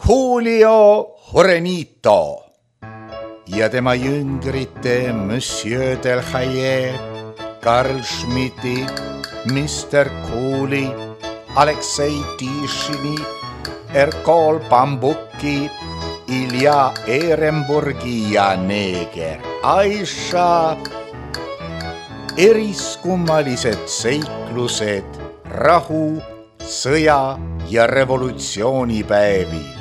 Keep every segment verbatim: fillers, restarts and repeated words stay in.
Julio Jurenito ja tema jüngrite Monsieur Delhaye, Karl Schmidti, mister Cooley, Aleksei Tishini, Erkol Bambuki, Ilja Ehrenburgi ja neeger Aisha. Eriskummalised seiklused rahu, sõja ja revolutsioonipäevil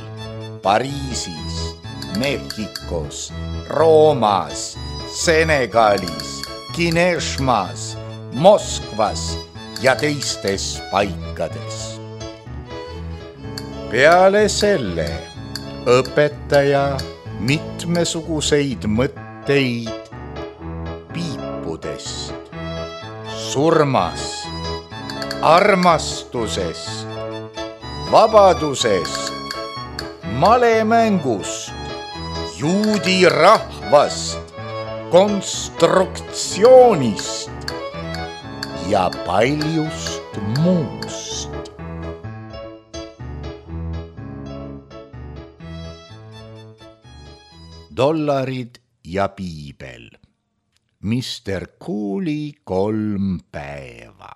Pariisis, Mehhikos, Roomas, Senegalis, Kineshmas, Moskvas ja teistes paikades. Peale selle õpetaja mitmesuguseid mõtteid piipudest, surmast, armastusest, vabadusest, malemängust, juudi rahvast, konstruktsioonist ja paljust muust. Dollarid ja piibel. mister Cooley kolm päeva.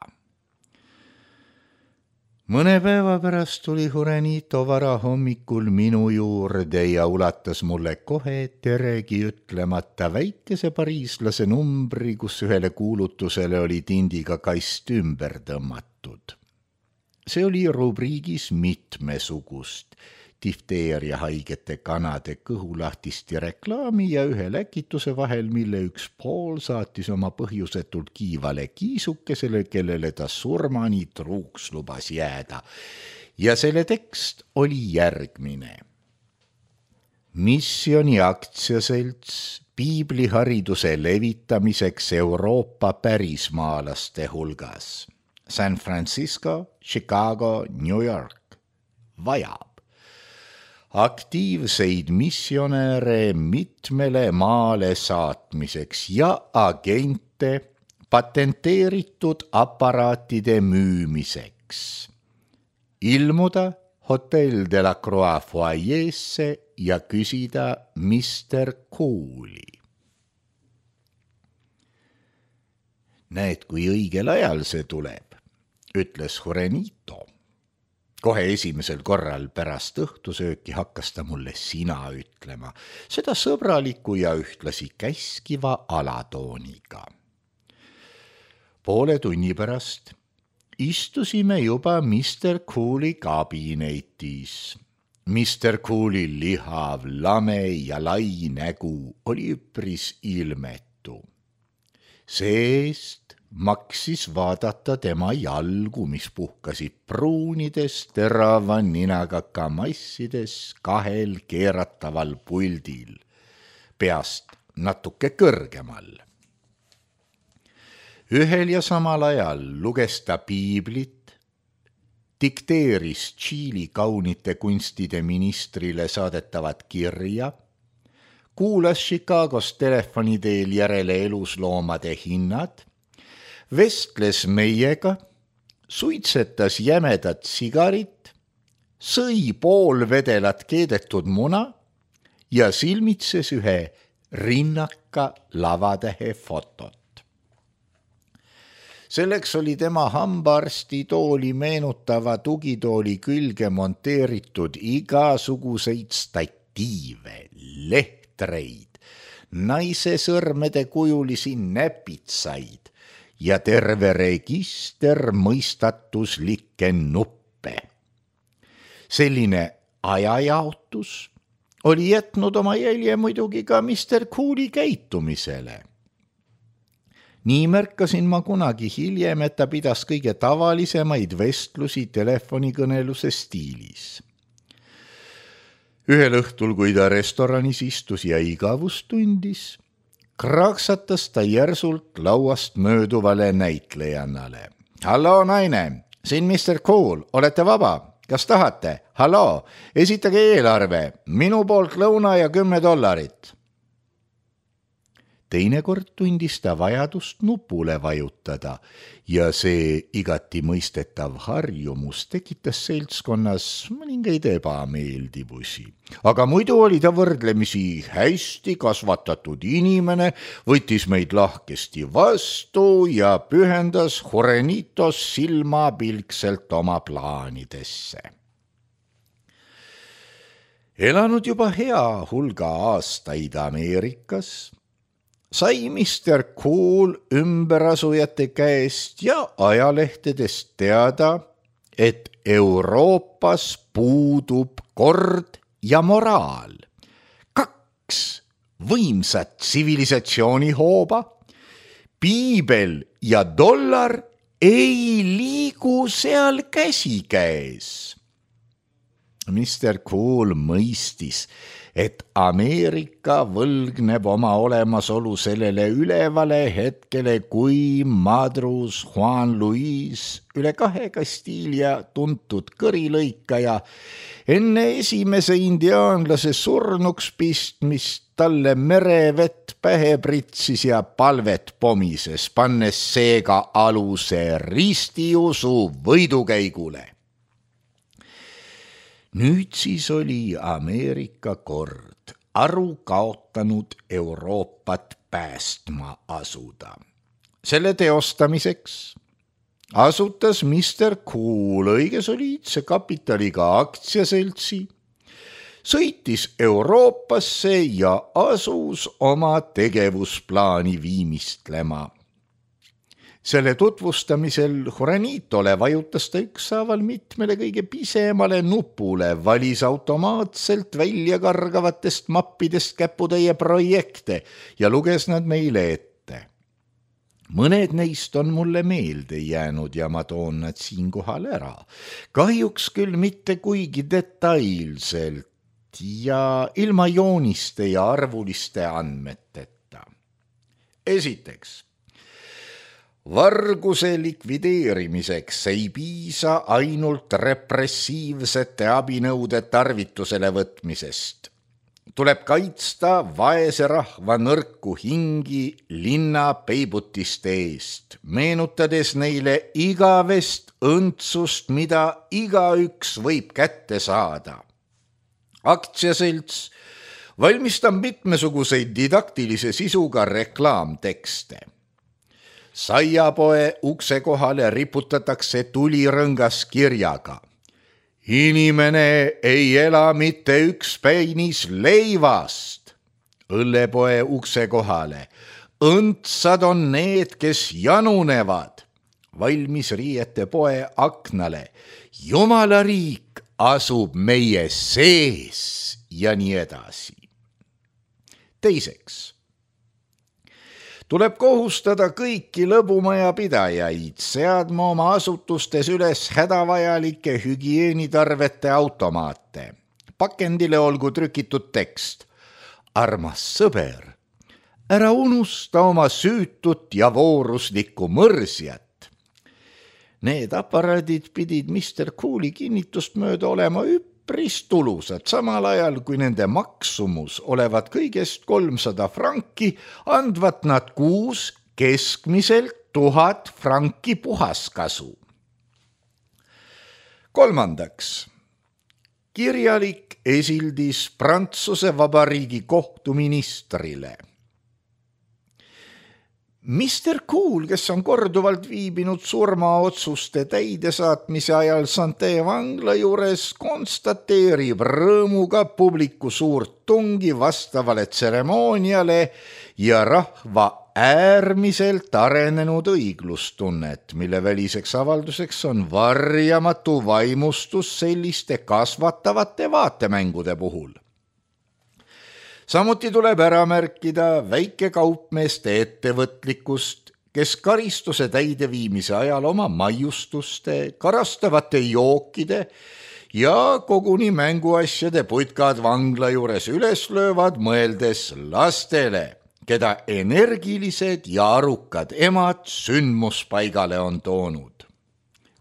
Mõne päeva pärast tuli Jurenito varahommikul minu juurde ja ulatas mulle kohe teregi ütlemata väikese pariislase numbri, kus ühele kuulutusele oli tindiga kast ümber tõmmatud. See oli rubriigis mitmesugust, difteeria haigete kanade kõhulahtisti reklaami ja ühe läkituse vahel, mille üks pool saatis oma põhjusetult kiivale kiisukesele, kellele ta surmani truuks lubas jääda. Ja selle tekst oli järgmine. Missioni aktsiaselts piiblihariduse levitamiseks Euroopa pärismaalaste hulgas. San Francisco, Chicago, New York. Vajab aktiivseid missionäre mitmele maale saatmiseks ja agente patenteeritud aparaatide müümiseks. Ilmuda Hotel de la Croix foajeesse ja küsida mister Cooley. Näed, kui õigel ajal see tuleb, ütles Jurenito. Kohe esimesel korral pärast õhtusööki hakkas ta mulle sina ütlema, seda sõbraliku ja ühtlasi käskiva alatooniga. Poole tunni pärast istusime juba mister Cooley kabinetis. mister Cooley lihav, lame ja lai nägu oli üpris ilmetu. Seest maksis vaadata tema jalgu, mis puhkasid pruunides terava ninaga kamassides kahel keerataval puldil, peast natuke kõrgemal. Ühel ja samal ajal luges ta piiblit, dikteeris Tšiili kaunite kunstide ministrile saadetavat kirja, kuulas Chicagos telefoni teel järele elusloomade hinnad, vestles meiega, suitsetas jämedat sigarit, sõi pool vedelat keedetud muna ja silmitses ühe rinnaka lavatähe fotot. Selleks oli tema hambaarsti tooli meenutava tugitooli külge monteeritud igasuguseid statiive, lehtreid, naise sõrmede kujulisi näpitsaid ja terve register mõistatuslikke nuppe. Selline ajajaotus oli jätnud oma jälje muidugi ka mister Cooley käitumisele. Nii märkasin ma kunagi hiljem, et ta pidas kõige tavalisemaid vestlusi telefonikõneluse stiilis. Ühel õhtul, kui ta restoranis istus ja igavust tundis, kraaksatas ta järsult lauast mööduvale näitlejannale. Hallo, naine, siin mister Cool, olete vaba? Kas tahate? Hallo, esitage eelarve, minu poolt lõuna ja kümme dollarit. teinekord tundis ta vajadust nupule vajutada ja see igati mõistetav harjumus tekitas seltskonnas mõningaid ebameeldivusi. Aga muidu oli ta võrdlemisi hästi kasvatatud inimene, võttis meid lahkesti vastu ja pühendas Juannitos silmapilkselt oma plaanidesse. Elanud juba hea hulga aastaid Ameerikas, sai mister Cool ümberasujate käest ja ajalehtedest teada, et Euroopas puudub kord ja moraal. Kaks võimsat tsivilisatsioonihooba, piibel ja dollar ei liigu seal käsikäes. mister Cool mõistis, et Ameerika võlgneb oma olemasolu sellele ülevale hetkele, kui madrus Juan Luis, üle kahe Kastiilia tuntud kõrilõikaja, enne esimese indiaanlase surnuks pistmist talle merevett pähe pritsis ja palvet pomises, pannes seega aluse ristiusu võidukäigule. Nüüd siis oli Ameerika kord aru kaotanud Euroopat päästma asuda. Selle teostamiseks asutas mister Cool õige soliidse kapitaliga aktsiaseltsi, sõitis Euroopasse ja asus oma tegevusplaani viimistlema. Selle tutvustamisel Juanitole vajutas ta ükshaaval mitmele kõige pisemale nupule, valis automaatselt välja kargavatest mappidest käputäie projekte ja luges nad meile ette. Mõned neist on mulle meelde jäänud ja ma toon nad siinkohal ära. Kahjuks küll mitte kuigi detailselt ja ilma jooniste ja arvuliste andmeteta. Esiteks, varguse likvideerimiseks ei piisa ainult repressiivsete abinõude tarvitusele võtmisest. Tuleb kaitsta vaese rahva nõrku hingi linna peibutiste eest, meenutades neile igavest õndsust, mida igaüks võib kätte saada. Aktsiaselts valmistab mitmesuguseid didaktilise sisuga reklaamtekste. Saiapoe ukse kohale riputatakse tulirõngas kirjaga. Inimene ei ela mitte üks peinis leivast. Õllepoe ukse kohale. Õndsad on need, kes janunevad. Valmis riiete poe aknale. Jumala riik asub meie sees ja nii edasi. Teiseks, tuleb kohustada kõiki lõbumaja pidajaid seadma oma asutustes üles hädavajalikke hügieenitarvete automaate. Pakendile olgu trükitud tekst. Armas sõber, ära unusta oma süütut ja vooruslikku mõrsjat. Need aparaadid pidid mister Cooli kinnitust mööda olema üpris tulusad, samal ajal kui nende maksumus olevat kõigest kolmsada franki, andvat nad kuus keskmiselt tuhat franki puhaskasu. Kolmandaks, kirjalik esildis Prantsuse Vabariigi kohtuministrile. mister Cool, kes on korduvalt viibinud surmaotsuste täidesaatmise ajal Santé vangla juures, konstateerib rõõmuga publiku suurt tungi vastavale tseremooniale ja rahva äärmiselt arenenud õiglustunnet, mille väliseks avalduseks on varjamatu vaimustus selliste kasvatavate vaatemängude puhul. Samuti tuleb ära märkida väikekaupmeeste ettevõtlikkust, kes karistuse täideviimise ajal oma maiustuste, karastavate jookide ja koguni mänguasjade putkad vangla juures üles löövad, mõeldes lastele, keda energilised ja arukad emad sündmuspaigale on toonud.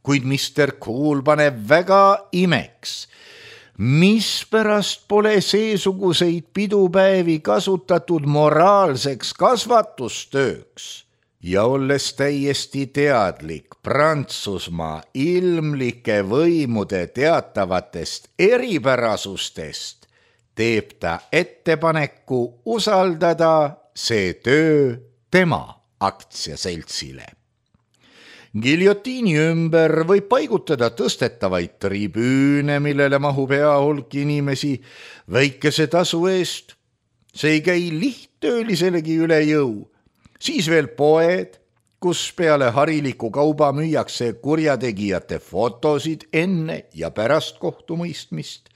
Kuid mister Cool paneb väga imeks, mispärast pole seesuguseid pidupäevi kasutatud moraalseks kasvatustööks ja olles täiesti teadlik Prantsusmaa ilmlike võimude teatavatest eripärasustest, teeb ta ettepaneku usaldada see töö tema aktsiaseltsile. Giljotiini ümber võib paigutada tõstetavaid tribüüne, millele mahub hea hulk inimesi väikese tasu eest. See ei käi lihttööliselegi üle jõu. Siis veel poed, kus peale hariliku kauba müüakse kurjategijate fotosid enne ja pärast kohtumõistmist,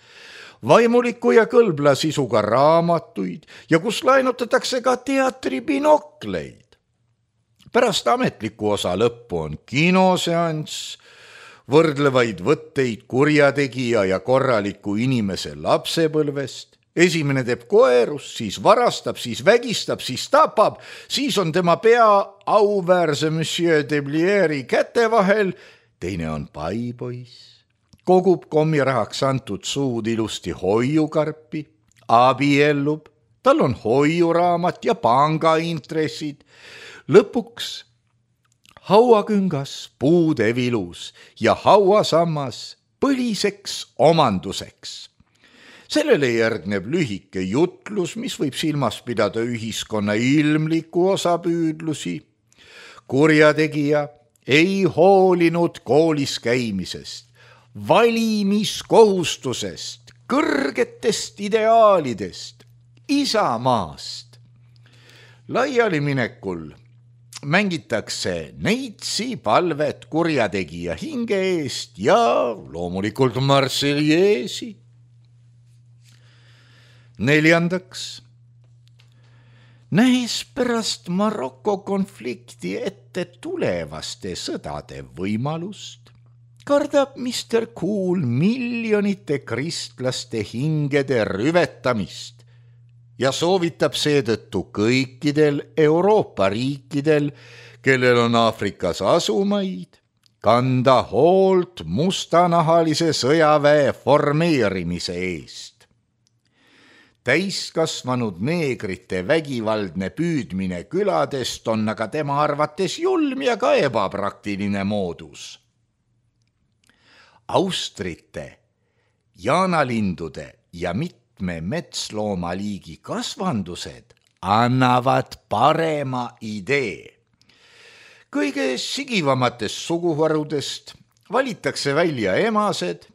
vaimuliku ja kõlbla sisuga raamatuid ja kus laenutatakse ka teatribinokleid. Pärast ametliku osa lõppu on kinoseanss, võrdlevaid võtteid kurjategija ja korraliku inimese lapsepõlvest. Esimene teeb koerus, siis varastab, siis vägistab, siis tapab, siis on tema pea auväärse Monsieur de Blieri käte vahel, teine on paipoiss, kogub kommirahaks antud suud ilusti hoiukarpi, abiellub, tal on hoiuraamat ja pangaintressid, lõpuks hauaküngas puude vilus ja hauasammas põliseks omanduseks. Sellele järgneb lühike jutlus, mis võib silmas pidada ühiskonna ilmliku osapüüdlusi. Kurjategija ei hoolinud koolis käimisest, valimiskohustusest, kõrgetest ideaalidest, isamaast. Laialiminekul mängitakse neitsi palvet kurjategija hinge eest ja loomulikult Marseljeesi. Neljandaks, nähes pärast Maroko konflikti ette tulevaste sõdade võimalust, kardab mister Cool miljonite kristlaste hingede rüvetamist ja soovitab seetõttu kõikidel Euroopa riikidel, kellel on Aafrikas asumaid, kanda hoolt mustanahalise sõjaväe formeerimise eest. Täiskasvanud neegrite vägivaldne püüdmine küladest on aga tema arvates julm ja ka ebapraktiline moodus. Austrite, jaanalindude ja mitte me metsloomaliigi kasvandused annavad parema idee. Kõige sigivamatest suguharudest valitakse välja emased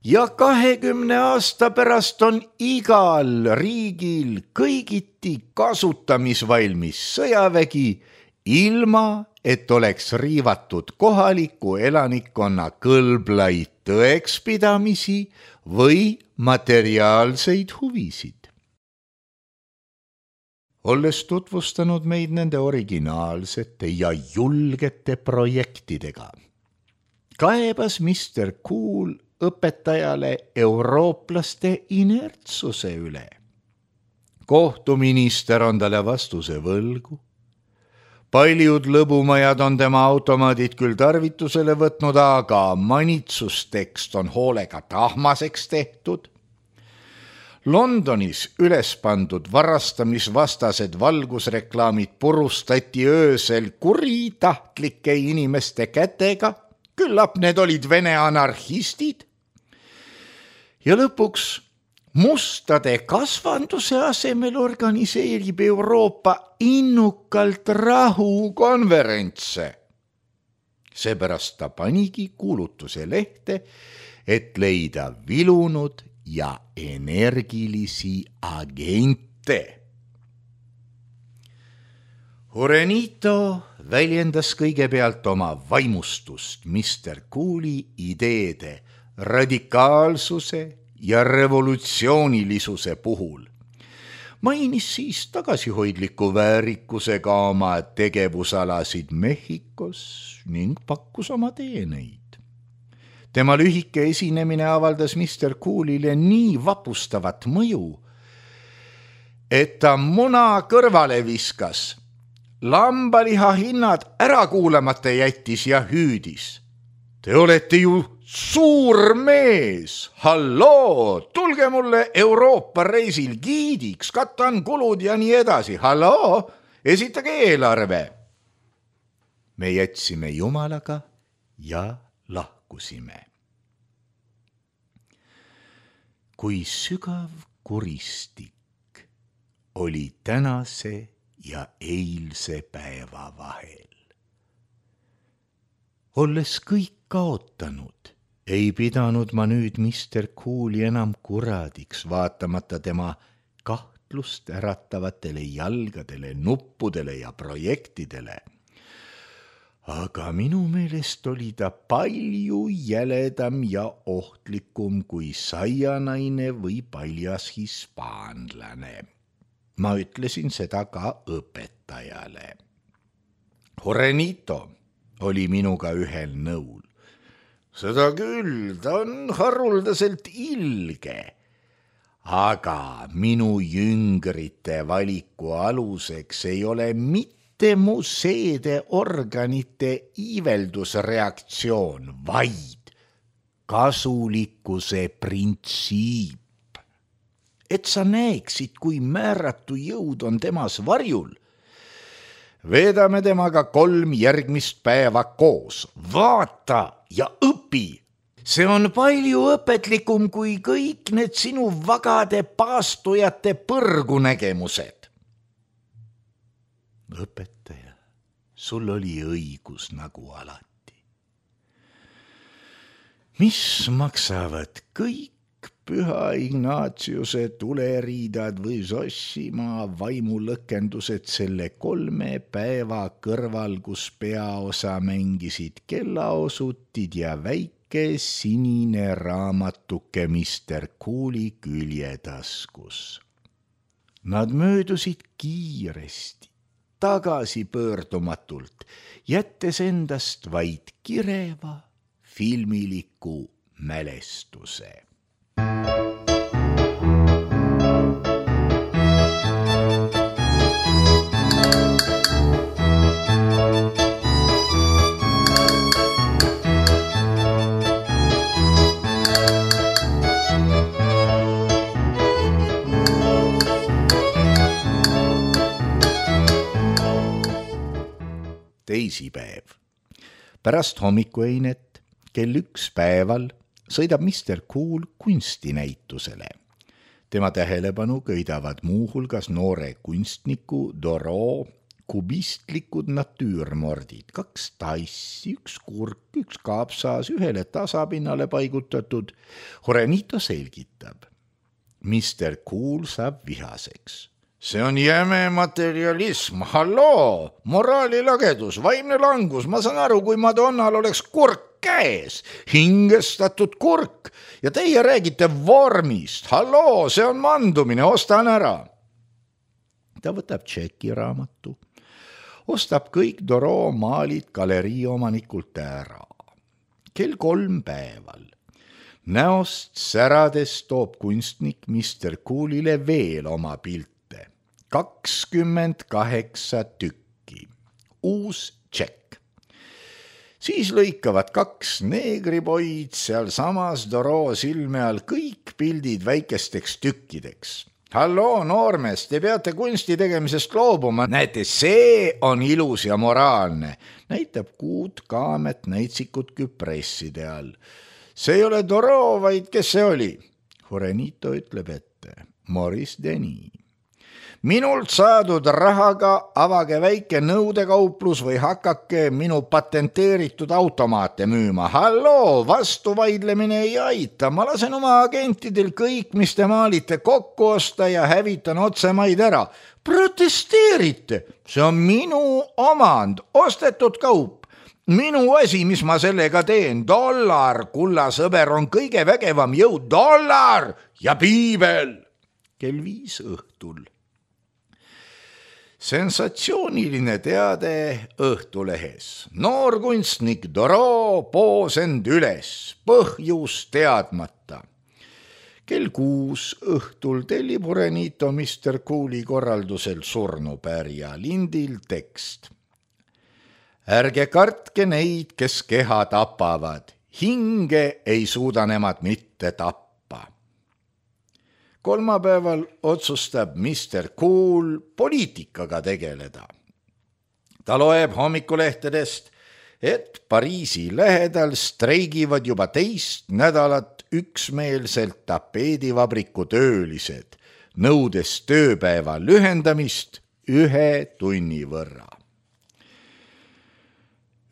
ja kahekümne aasta pärast on igal riigil kõigiti kasutamisvalmis sõjavägi, ilma et oleks riivatud kohaliku elanikkonna kõlblaid tõekspidamisi või materiaalseid huvisid. Olles tutvustanud meid nende originaalsete ja julgete projektidega, kaebas mister Cool õpetajale eurooplaste inertsuse üle. Kohtuminister on talle vastuse võlgu. Paljud lõbumajad on tema automaadid küll tarvitusele võtnud, aga manitsustekst on hoolega tahmaseks tehtud. Londonis üles pandud varastamisvastased valgusreklaamid purustati öösel kuritahtlike inimeste kätega, küllap need olid vene anarhistid. Ja lõpuks mustade kasvanduse asemel organiseerib Euroopa innukalt rahukonverentse. Seepärast ta panigi kuulutuse lehte, et leida vilunud ja energilisi agente. Jurenito väljendas kõigepealt oma vaimustust mister Cooli ideede radikaalsuse ja revolutsioonilisuse puhul. Mainis siis tagasihoidliku väärikusega oma tegevusalasid Mehhikos ning pakkus oma teeneid. Tema lühike esinemine avaldas mister Coolile nii vapustavat mõju, et ta muna kõrvale viskas, lambaliha hinnad ära kuulamata jättis ja hüüdis. Te olete ju suur mees, halloo, tulge mulle Euroopa reisil giidiks, katan kulud ja nii edasi, halloo, esitage eelarve. Me jätsime Jumalaga ja lahkusime. Kui sügav kuristik oli tänase ja eilse päeva vahel. Olles kõik kaotanud, ei pidanud ma nüüd mister Cooli enam kuradiks, vaatamata tema kahtlust äratavatele jalgadele, nuppudele ja projektidele. Aga minu meelest oli ta palju jäledam ja ohtlikum kui saianaine või paljas hispaanlane. Ma ütlesin seda ka õpetajale. Juanito oli minuga ühel nõul. Seda küll, ta on haruldaselt ilge. Aga minu jüngrite valiku aluseks ei ole mitte mu seedeorganite iiveldusreaktsioon, vaid kasulikkuse printsiip. Et sa näeksid, kui määratu jõud on temas varjul. Veedame temaga kolm järgmist päeva koos. Vaata ja õpi. See on palju õpetlikum kui kõik need sinu vagade paastujate põrgunägemused. Õpetaja, sul oli õigus nagu alati. Mis maksavad kõik Püha Ignatiuse tuleriidad või Sossimaa vaimulõkendused selle kolme päeva kõrval, kus peaosa mängisid kellaosutid ja väike sinine raamatuke mister Cooli küljetaskus. Nad möödusid kiiresti, tagasi pöördumatult, jättes endast vaid kireva filmiliku mälestuse. Teisipäev. Pärast hommikueinet kell üks päeval sõidab mister Cool kunstinäitusele. Tema tähelepanu köidavad muuhulgas noore kunstniku Doro kubistlikud natüürmordid, kaks tassi, üks kurk, üks kaapsaas, ühele tasapinnale paigutatud. Juanito selgitab. mister Cool saab vihaseks. See on jäme materialism, halloo, moraalilagedus, vaimne langus, ma saan aru, kui Madonnal oleks kurk käes, hingestatud kurk ja teie räägite vormist, halloo, see on mandumine, ostan ära. Ta võtab tšekiraamatu, ostab kõik Doro maalid galerii omanikult ära. Kell kolm päeval. Näost särades toob kunstnik mister Coolile veel oma pilt. kakskümmend kaheksa tükki. Uus tšekk. Siis lõikavad kaks neegripoid seal samas Doro silme all kõik pildid väikesteks tükkideks. Halloo, noormees, te peate kunsti tegemisest loobuma. Näete, see on ilus ja moraalne. Näitab kuud kaamet näitsikut küpresside all. See ei ole Doro, vaid kes see oli? Juanito ütleb ette. Maurice Denis. Minult saadud rahaga avage väike nõudekauplus või hakake minu patenteeritud automaate müüma. Halloo, vastuvaidlemine ei aita. Ma lasen oma agentidel kõik, mis te maalite, kokku osta ja hävitan otsemaid ära. Protesteerite. See on minu omand, ostetud kaup. Minu asi, mis ma sellega teen. Dollar, kulla sõber, on kõige vägevam jõud. Dollar ja piibel. Kell viis õhtul. Sensatsiooniline teade Õhtulehes. Noor kunstnik Doro poos end üles, põhjus teadmata. Kell kuus õhtul tellib Juanito mister Cooli korraldusel surnupärja lindil tekst. Ärge kartke neid, kes keha tapavad, hinge ei suuda nemad mitte tappa. Kolmapäeval otsustab mister Cool poliitikaga tegeleda. Ta loeb hommikulehtedest, et Pariisi lähedal streigivad juba teist nädalat üksmeelselt tapeedivabriku töölised, nõudes tööpäeva lühendamist ühe tunni võrra.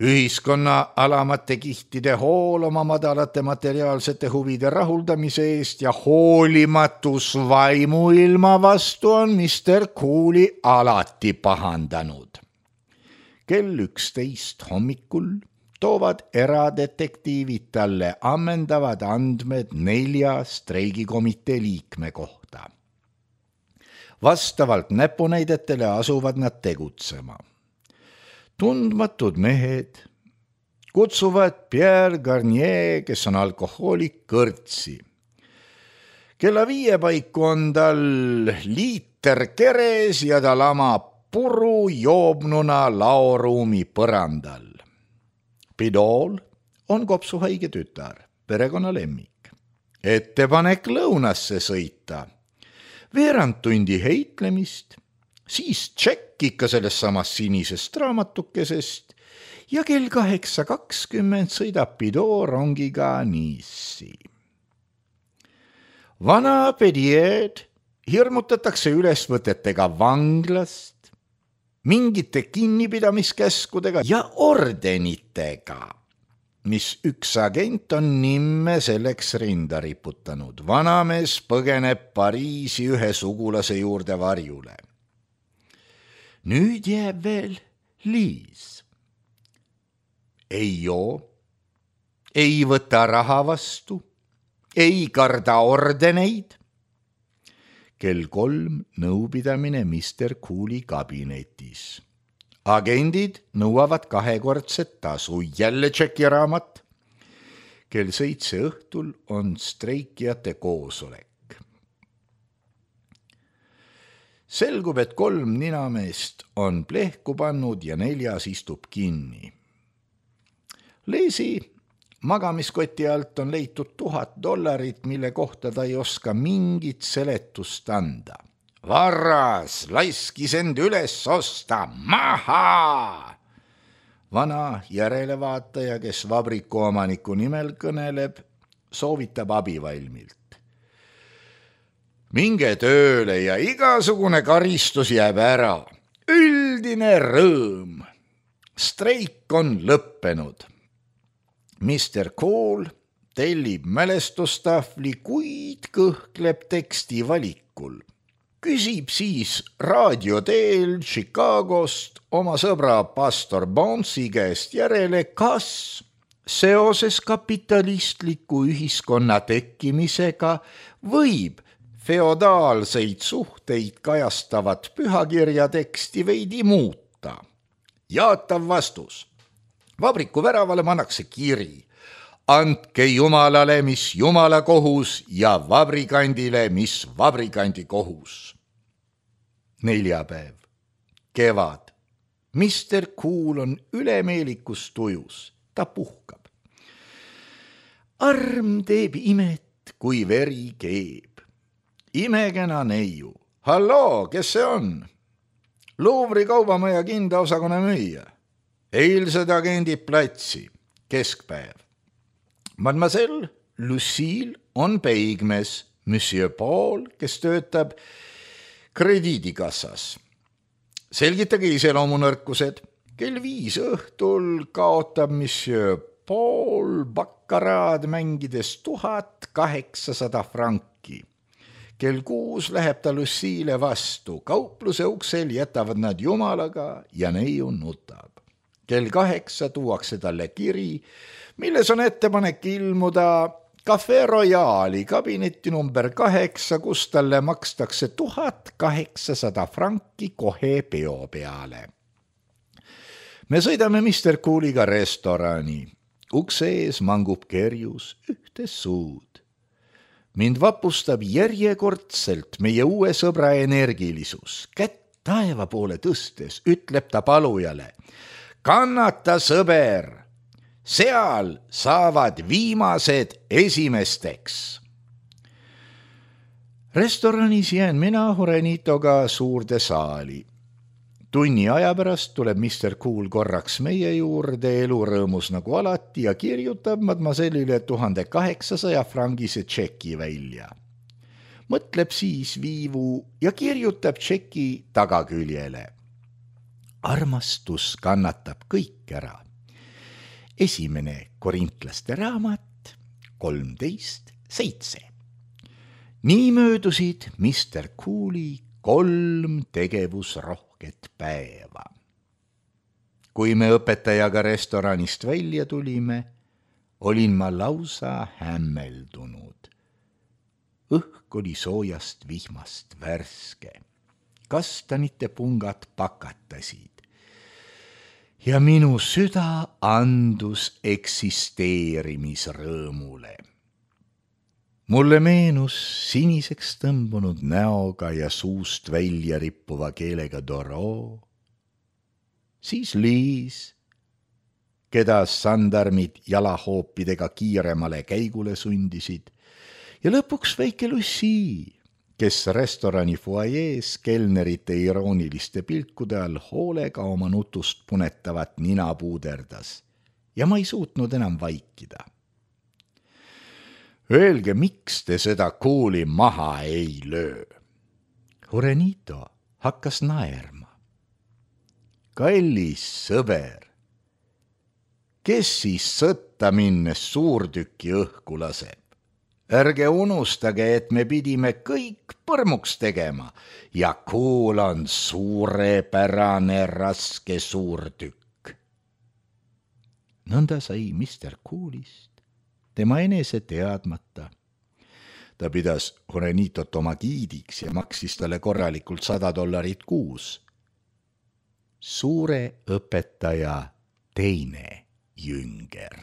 Ühiskonna alamate kihtide hool oma madalate materiaalsete huvide rahuldamise eest ja hoolimatus vaimuilma vastu on mister Cooli alati pahandanud. Kell üksteist hommikul toovad eradetektiivid talle ammendavad andmed nelja streigikomitee liikme kohta. Vastavalt näpunäidetele asuvad nad tegutsema. Tundmatud mehed kutsuvad Pierre Garnier, kes on alkohoolik, kõrtsi. Kella viie paiku on tal liiter keres ja ta lamab puru joobnuna laoruumi põrandal. Pidol on kopsuhaige tütar, perekonna lemmik. Ettepanek lõunasse sõita. Veerand tundi heitlemist, siis tšekk ikka sellest samast sinisest raamatukesest ja kell kaheksa kakskümmend sõidab Pidol rongiga Nice'i. Vana Pedied hirmutatakse ülesvõtetega vanglast, mingite kinnipidamiskäskudega ja ordenitega, mis üks agent on nimme selleks rinda riputanud. Vanamees põgeneb Pariisi ühe sugulase juurde varjule. Nüüd jääb veel Liis. Ei joo, ei võta raha vastu, ei karda ordeneid. Kell kolm nõupidamine mister Cooli kabinetis. Agendid nõuavad kahekordset tasu, jälle tšekiraamat. Kell seitse õhtul on streikijate koosolek. Selgub, et kolm ninameest on plehku pannud ja neljas istub kinni. Leesi magamiskoti alt on leitud tuhat dollarit, mille kohta ta ei oska mingit seletust anda. Varras laiskis end üles osta, maha! Vana järelevaataja, kes vabriku omaniku nimel kõneleb, soovitab abivalmilt. Minge tööle ja igasugune karistus jääb ära. Üldine rõõm. Streik on lõppenud. mister Cool tellib mälestustahvli, kuid kõhkleb teksti valikul. Küsib siis raadio teel Chicagost oma sõbra pastor Bonsi käest järele, kas seoses kapitalistliku ühiskonna tekkimisega võib feodaalseid suhteid kajastavat pühakirja teksti veidi muuta. Jaatav vastus. Vabriku väravale pannakse kiri. Andke Jumalale, mis Jumala kohus ja vabrikandile, mis vabrikandi kohus. Neljapäev. Kevad. mister Cool on ülemeelikus tujus. Ta puhkab. Arm teeb imet, kui veri keeb. Imekena neiu. Halloo, kes see on? Louvri kaubamaja kindaosakonna müüja. Eilsed agendid platsi. Keskpäev. Mademoiselle Lucille on peigmes, monsieur Paul, kes töötab krediidikassas. Selgitage iseloomunõrkused. Kell viis õhtul kaotab monsieur Paul bakkaraad mängides tuhat kaheksasada franki. Kell kuus läheb ta Lucille vastu. Kaupluse uksel jätavad nad Jumalaga ja neiu nutab. Kell kaheksa tuuakse talle kiri, milles on ettepanek ilmuda Cafe Royali kabinetti number kaheksa, kus talle makstakse tuhat kaheksasada franki kohe peo peale. Me sõidame mister Cooliga restorani. Ukse ees mangub kerjus ühte suud. Mind vapustab järjekordselt meie uue sõbra energilisus. Kätt taeva poole tõstes ütleb ta palujale. Kannata, sõber! seal saavad viimased esimesteks. Restoranis jään mina Juanitoga suurde saali. Tunni aja pärast tuleb mister Cool korraks meie juurde elurõõmus nagu alati ja kirjutab mademoisellile tuhande kaheksasaja frangise tšeki välja. Mõtleb siis viivu ja kirjutab tšeki tagaküljele. Armastus kannatab kõik ära. Esimene korintlaste raamat, kolmteist seitse. Nii möödusid mister Cooli kolm tegevusrohket päeva. Kui me õpetajaga restoranist välja tulime, olin ma lausa hämmeldunud. Õhk oli soojast vihmast värske. Kastanite pungad pakatasid. Ja minu süda andus eksisteerimisrõõmule. Mulle meenus siniseks tõmbunud näoga ja suust välja rippuva keelega Doro, siis Liis, keda sandarmid jalahoopidega kiiremale käigule sundisid, ja lõpuks väike Lucy, kes restorani fuajees kelnerite irooniliste pilkude all hoolega oma nutust punetavat nina puuderdas ja ma ei suutnud enam vaikida. Öelge, miks te seda Cooli maha ei löö? Juanito hakkas naerma. Kallis sõber, kes siis sõtta minnes suurtüki õhku laseb? Ärge unustage, et me pidime kõik põrmuks tegema ja Cool on suurepärane raske suurtükk. Nõnda sai mister Coolist tema enese teadmata. Ta pidas Juanitot oma giidiks ja maksis talle korralikult sada dollarit kuus. Suure õpetaja teine jünger.